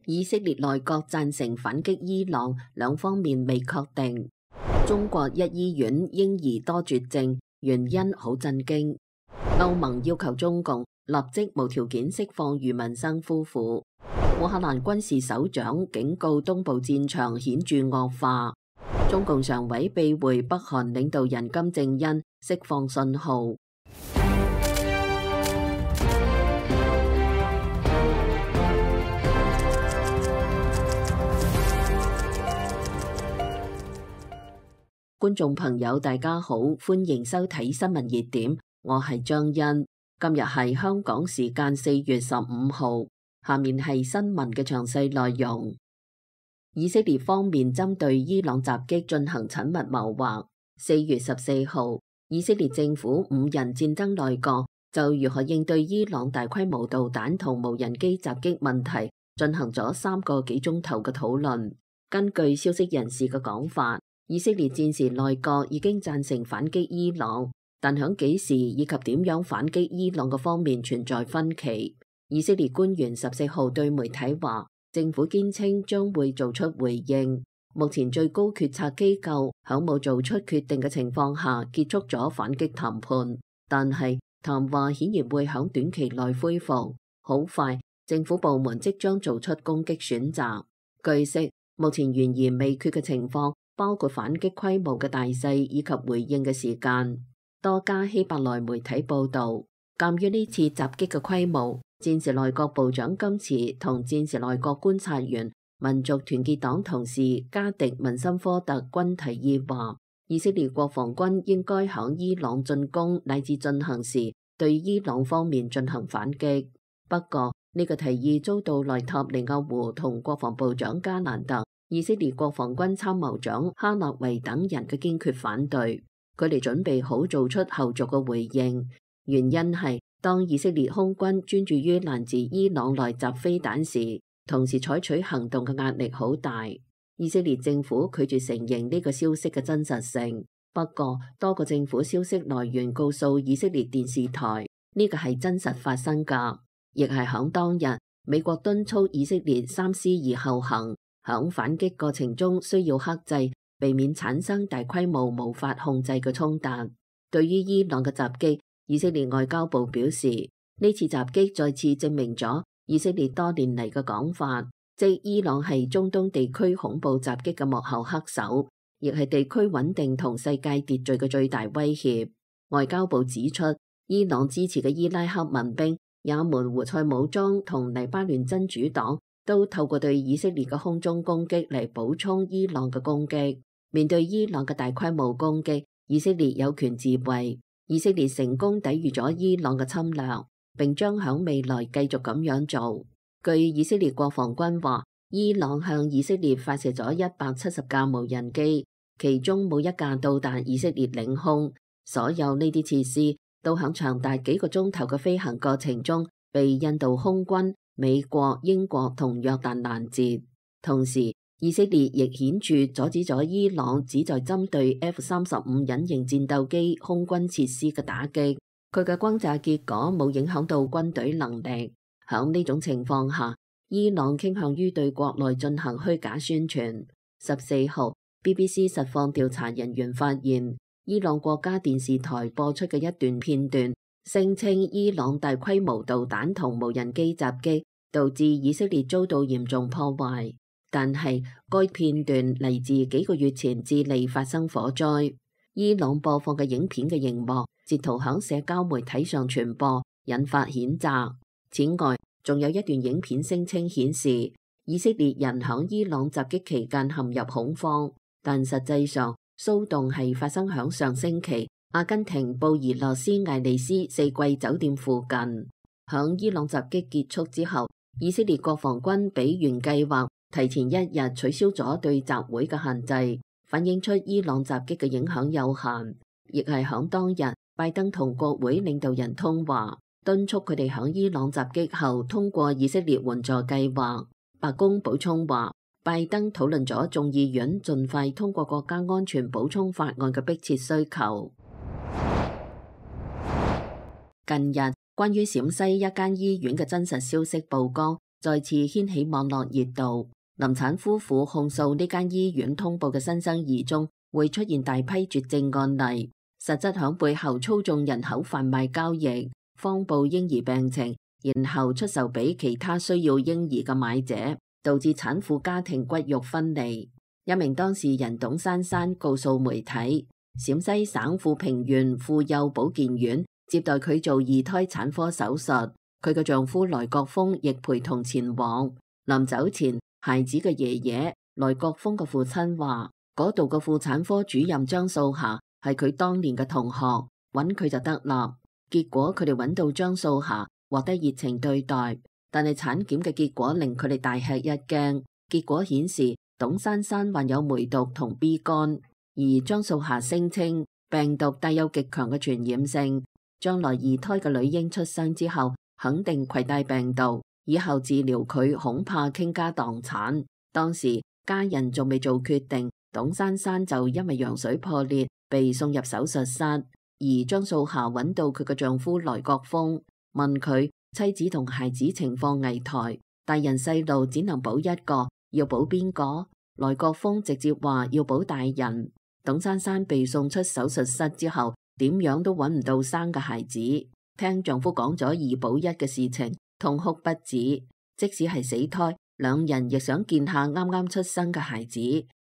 以色列內閣贊成反擊伊朗，兩方面未確定。中國一醫院嬰兒多絕症，原因好震驚。歐盟要求中共立即無條件釋放余文生夫婦。烏克蘭軍事首長警告東部戰場顯著惡化。中共常委秘會北韓領導人金正恩釋放信號。觀眾朋友大家好，歡迎收睇新聞熱點，我係張欣。今日係香港時間4月15號，下面係新聞嘅詳細內容。以色列方面針對伊朗襲擊進行緊密謀劃。4月14號，以色列政府5人戰爭內閣就如何應對伊朗大規模導彈同無人機襲擊問題進行咗3個幾鐘頭嘅討論。根據消息人士嘅講法，以色列戰時內閣已經贊成反擊伊朗，但響幾時以及點樣反擊伊朗嘅方面存在分歧。以色列官員14號對媒體話，政府堅稱將會做出回應。目前最高決策機構響冇做出決定嘅情況下結束咗反擊談判，但係談話顯然會響短期內恢復。好快，政府部門即將做出攻擊選擇。據悉，目前懸而未決嘅情況包括反擊規模嘅大細以及回應嘅時間。多家希伯來媒體報道，鑑於呢次襲擊嘅規模，戰時內閣部長甘茨同戰時內閣觀察員民族團結黨同事加迪文森科特均提議話，以色列國防軍應該響伊朗進攻乃至進行時對伊朗方面進行反擊。不過呢個提議遭到內塔尼亞胡同國防部長加蘭特、以色列國防軍參謀長哈納維等人嘅堅決反對。佢哋準備好做出後續嘅回應，原因係當以色列空軍專注於攔截伊朗來襲飛彈時，同時採取行動嘅壓力好大。以色列政府拒絕承認呢個消息嘅真實性。不過多個政府消息來源告訴以色列電視台，呢個係真實發生㗎，亦係響當日美國敦促以色列三思而後行，響反擊過程中需要克制，避免產生大規模無法控制嘅衝突。對於伊朗嘅襲擊，以色列外交部表示，呢次襲擊再次證明咗以色列多年嚟嘅講法，即伊朗係中東地區恐怖襲擊嘅幕後黑手，亦係地區穩定同世界秩序嘅最大威脅。外交部指出，伊朗支持嘅伊拉克民兵、也門胡塞武裝同黎巴嫩真主黨都透過對以色列嘅空中攻擊嚟補充伊朗嘅攻擊。面對伊朗嘅大規模攻擊，以色列有權自衛。以色列成功抵禦咗伊朗嘅侵略，並將響未來繼續咁樣做。據以色列國防軍話，伊朗向以色列發射咗170架無人機，其中冇一架到達以色列領空。所有呢啲設施都響長達幾個鐘頭嘅飛行過程中被印度空軍、美國、英國同約旦攔截。同時，以色列亦顯著阻止咗伊朗旨在針對 F-35隱形戰鬥機空軍設施嘅打擊，佢嘅轟炸結果冇影響到軍隊能力。響呢種情況下，伊朗傾向於對國內進行虛假宣傳。14號 BBC 實況調查人員發現，伊朗國家電視台播出嘅一段片段，聲稱伊朗大規模導彈同無人機襲擊導致以色列遭到嚴重破壞。但係該片段嚟自幾個月前智利發生火災，伊朗播放嘅影片嘅熒幕截圖響社交媒體上傳播，引發譴責。此外，仲有一段影片聲稱顯示以色列人響伊朗襲擊期間陷入恐慌，但實際上騷動係發生響上星期阿根廷布宜諾斯艾利斯四季酒店附近。響伊朗襲擊結束之後，以色列國防軍比原計劃提前一日取消咗對集會嘅限制，反映出伊朗襲擊嘅影響有限。亦係響當日，拜登同國會領導人通話，敦促佢哋響伊朗襲擊後通過以色列援助計劃。白宮補充話，拜登討論咗眾議院盡快通過國家安全補充法案嘅迫切需求。近日，關於陝西一間醫院嘅真實消息曝光，再次掀起網絡熱度。臨產夫婦控訴呢間醫院通報嘅新生兒中會出現大批絕症案例，實質響背後操縱人口販賣交易，謊報嬰兒病情，然後出售俾其他需要嬰兒嘅買者，導致產婦家庭骨肉分離。一名當事人董珊珊告訴媒體，陝西省富平縣婦幼保健院接待佢做二胎產科手術，佢嘅丈夫來國峰亦陪同前往。臨走前，孩子嘅爺爺來國峰嘅父親話，嗰度嘅婦產科主任張素霞係佢當年嘅同學，揾佢就得啦。結果佢哋揾到張素霞，獲得熱情對待，但係產檢嘅結果令佢哋大吃一驚。結果顯示董珊珊患有梅毒同 B 肝，而張素霞聲稱病毒帶有極強嘅傳染性，將來二胎嘅女嬰出生之後肯定攜帶病毒，以後治療佢恐怕傾家蕩產。當時家人仲未做決定，董珊珊就因為羊水破裂被送入手術室，而張素霞揾到佢嘅丈夫來國峰，問佢妻子同孩子情況危殆，大人細路只能保一個，要保邊個？來國峰直接話要保大人。董珊珊被送出手術室之後，點樣都揾唔到生嘅孩子，聽丈夫講咗二保一嘅事情，痛哭不止。即使係死胎，兩人亦想見下啱啱出生嘅孩子，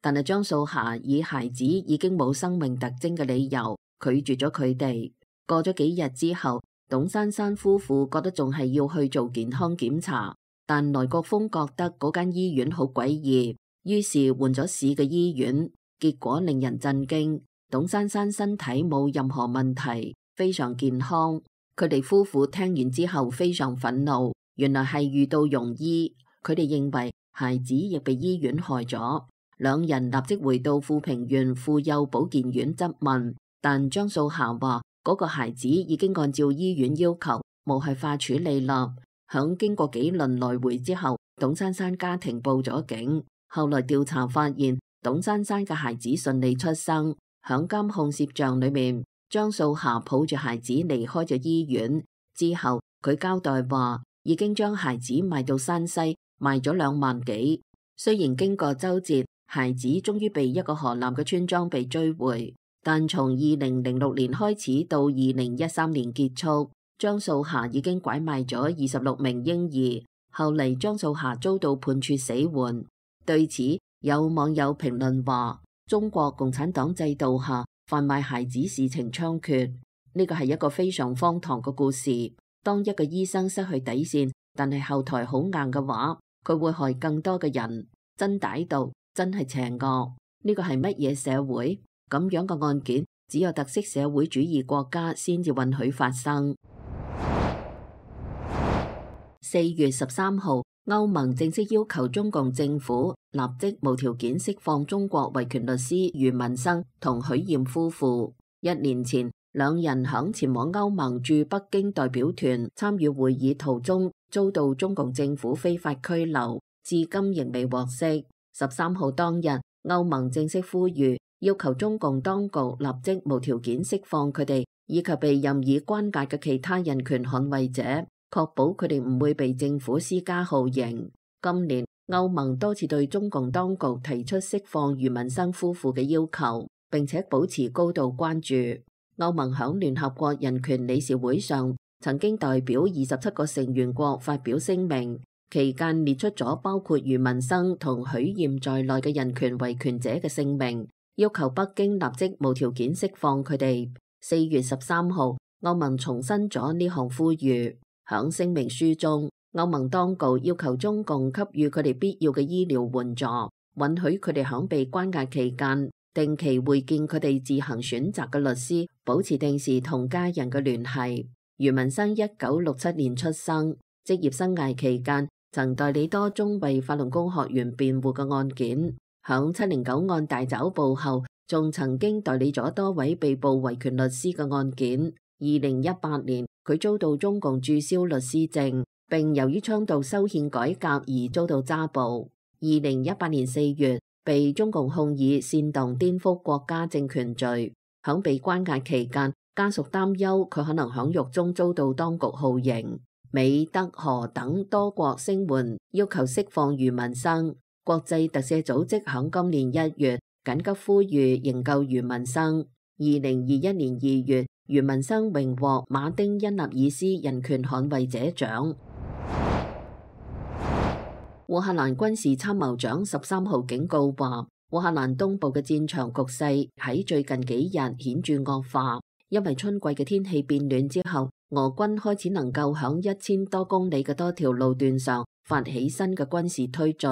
但係張素霞以孩子已經冇生命特徵嘅理由拒絕咗佢哋。過咗幾日之後，董珊珊夫婦覺得仲係要去做健康檢查，但來國峰覺得嗰間醫院好詭異，於是換咗市嘅醫院，結果令人震驚。董珊珊身體冇任何問題，非常健康。佢哋夫婦聽完之後非常憤怒，原來係遇到庸醫，佢哋認為孩子亦被醫院害咗。兩人立即回到富平縣婦幼保健院質問，但張素霞話嗰個孩子已經按照醫院要求無害化處理啦。響經過幾輪來回之後，董珊珊家庭報咗警。後來調查發現，董珊珊嘅孩子順利出生。響監控攝像裏面，張素霞抱住孩子離開咗醫院之後，佢交代話已經將孩子賣到山西，賣咗2萬幾。雖然經過周折，孩子終於被一個河南嘅村莊被追回，但從2006年開始到2013年結束，張素霞已經拐賣咗26名嬰兒。後嚟張素霞遭到判處死緩。對此，有網友評論話，中國共產黨制度下販賣孩子事情猖獗，呢個係一個非常荒唐嘅故事。當一個醫生失去底線，但係後台好硬嘅話，佢會害更多嘅人。真歹毒，真係邪惡。呢個係乜嘢社會？咁樣嘅案件只有特色社會主義國家先至允許發生。4月13號，歐盟正式要求中共政府立即無條件釋放中國維權律師余文生同許艷夫婦。1年前，兩人響前往歐盟駐北京代表團參與會議途中，遭到中共政府非法拘留，至今仍未獲釋。13號當日，歐盟正式呼籲，要求中共當局立即無條件釋放佢哋，以及被任意關押嘅其他人權捍衛者，確保佢哋唔會被政府施加酷刑。今年，歐盟多次對中共當局提出釋放余文生夫婦嘅要求，並且保持高度關注。歐盟響聯合國人權理事會上，曾經代表27個成員國發表聲明，期間列出咗包括余文生同許艷在內嘅人權維權者嘅姓名，要求北京立即無條件釋放佢哋。4月13號，歐盟重申咗呢項呼籲。響聲明書中，歐盟當局要求中共給予佢哋必要嘅醫療援助，允許佢哋響被關押期間定期會見佢哋自行選擇嘅律師，保持定時同家人嘅聯繫。余文生1967年出生，職業生涯期間曾代理多宗為法輪功學員辯護嘅案件。響709案大抓捕後，仲曾經代理咗多位被捕維權律師嘅案件。2018年，佢遭到中共註銷律師證，並由於倡導修憲改革而遭到抓捕。2018年4月，被中共控以煽動顛覆國家政權罪。響被關押期間，家屬擔憂佢可能響獄中遭到當局酷刑。美、德、荷等多國聲援，要求釋放余文生。國際特赦組織響今年1月緊急呼籲營救余文生。2021年2月，余文生榮獲馬丁·恩納爾斯人權捍衛者獎。烏克蘭軍事參謀長13號警告話，烏克蘭東部嘅戰場局勢喺最近幾日顯著惡化，因為春季嘅天氣變暖之後，俄軍開始能夠響1000多公里嘅多條路段上發起新嘅軍事推進。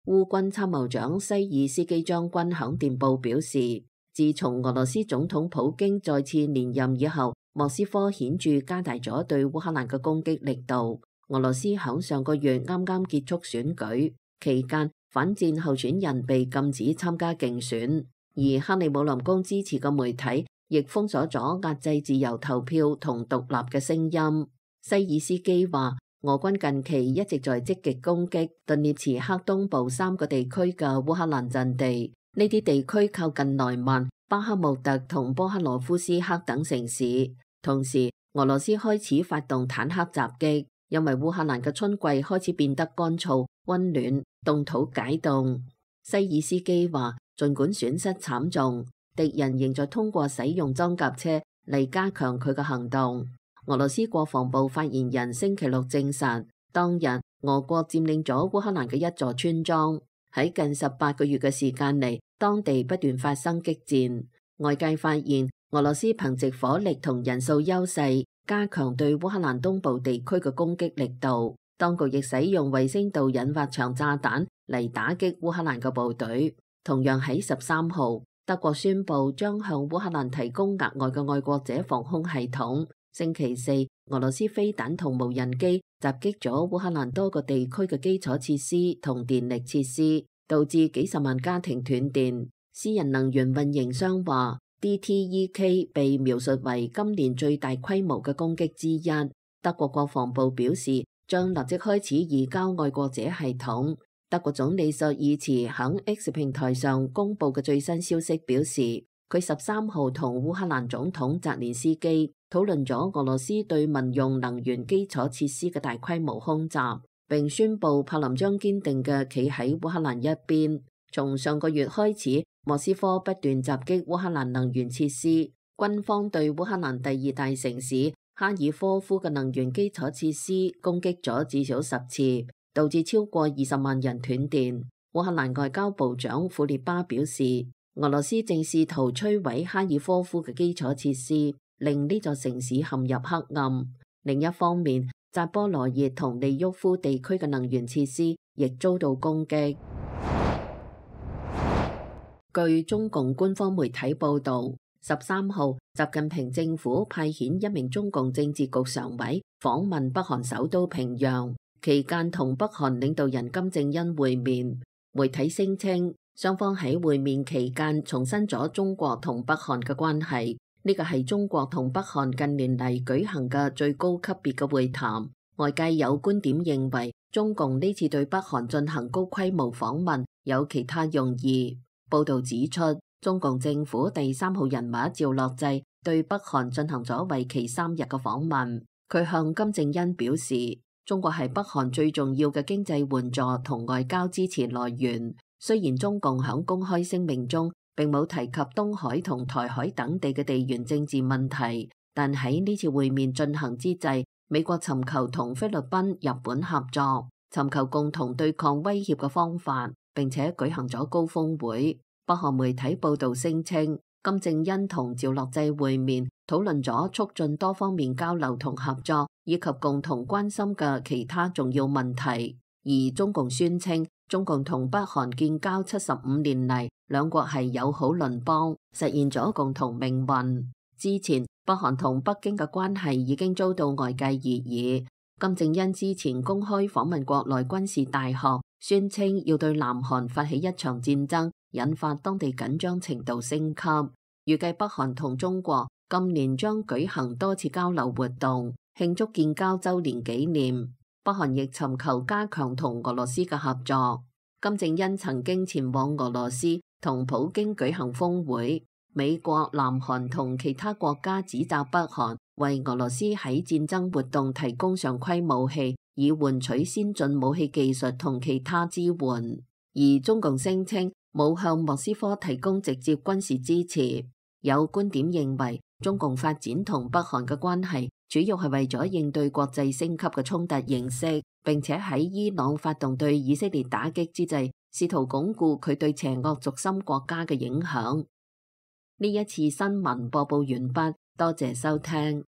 烏軍參謀長西爾斯基將軍響電報表示，自從俄羅斯總統普京再次連任以後，莫斯科顯著加大咗對烏克蘭嘅攻擊力度。俄羅斯響上個月啱啱結束選舉期間，反戰候選人被禁止參加競選，而克里姆林宮支持嘅媒體亦封鎖咗壓制自由投票同獨立嘅聲音。西爾斯基話，俄軍近期一直在積極攻擊頓涅茨克東部3個地區嘅烏克蘭陣地，呢啲地區靠近萊曼、巴克穆特同波克羅夫斯克等城市。同時，俄羅斯開始發動坦克襲擊。因為烏克蘭嘅春季開始變得乾燥、溫暖、凍土解凍。西爾斯基話，儘管損失慘重，敵人仍在通過使用裝甲車嚟加強佢嘅行動。俄羅斯國防部發言人星期六證實，當日俄國佔領咗烏克蘭嘅一座村莊。喺近18個月嘅時間嚟，當地不斷發生激戰。外界發現俄羅斯憑藉火力同人數優勢，加強對烏克蘭東部地區嘅攻擊力度，當局亦使用衛星導引發場炸彈嚟打擊烏克蘭嘅部隊。同樣喺13號，德國宣布將向烏克蘭提供額外嘅愛國者防空系統。星期四，俄羅斯飛彈同無人機襲擊咗烏克蘭多個地區嘅基礎設施同電力設施，導致幾十萬家庭斷電。私人能源運營商話，DTEK 被描述為今年最大規模嘅攻擊之一。德國國防部表示，將立即開始移交愛國者系統。德國總理朔爾茨喺 X 平台上公布嘅最新消息表示，佢13號同烏克蘭總統澤連斯基討論咗俄羅斯對民用能源基礎設施嘅大規模空襲，並宣布柏林將堅定嘅企喺烏克蘭一邊。從上個月開始，莫斯科不斷襲擊烏克蘭能源設施，軍方對烏克蘭第2大城市哈爾科夫嘅能源基礎設施攻擊咗至少10次，導致超過20萬人斷電。烏克蘭外交部長庫列巴表示，俄羅斯正試圖摧毀哈爾科夫嘅基礎設施，令呢座城市陷入黑暗。另一方面，扎波羅熱同利沃夫地區嘅能源設施亦遭到攻擊。據中共官方媒體報道，13號，習近平政府派遣1名中共政治局常委訪問北韓首都平壤，期間同北韓領導人金正恩會面。媒體聲稱，雙方喺會面期間重申咗中國同北韓嘅關係，呢個係中國同北韓近年嚟舉行嘅最高級別嘅會談。外界有觀點認為，中共呢次對北韓進行高規模訪問有其他用意。報道指出，中共政府第3號人物趙樂際對北韓進行咗為期3日嘅訪問。佢向金正恩表示，中國係北韓最重要嘅經濟援助同外交支持來源。雖然中共響公開聲明中並冇提及東海同台海等地嘅地緣政治問題，但喺呢次會面進行之際，美國尋求同菲律賓、日本合作，尋求共同對抗威脅嘅方法，並且舉行咗高峰會。北韓媒體報道聲稱，金正恩同趙樂際會面，討論咗促進多方面交流同合作，以及共同關心嘅其他重要問題。而中共宣稱，中共同北韓建交75年嚟，兩國係友好鄰邦，實現咗共同命運。之前，北韓同北京嘅關係已經遭到外界熱議。金正恩之前公開訪問國內軍事大學，宣稱要對南韓發起一場戰爭，引發當地緊張程度升級。預計北韓同中國今年將舉行多次交流活動，慶祝建交週年紀念。北韓亦尋求加強同俄羅斯嘅合作。金正恩曾經前往俄羅斯同普京舉行峰會。美國、南韓同其他國家指責北韓為俄羅斯喺戰爭活動提供常規武器，以換取先進武器技術同其他支援。而中共聲稱冇向莫斯科提供直接軍事支持。有觀點認為，中共發展同北韓嘅關係主要係為咗應對國際升級嘅衝突形勢，並且喺伊朗發動對以色列打擊之際，試圖鞏固佢對邪惡軸心國家嘅影響。呢一次新聞播報完畢，多謝收聽。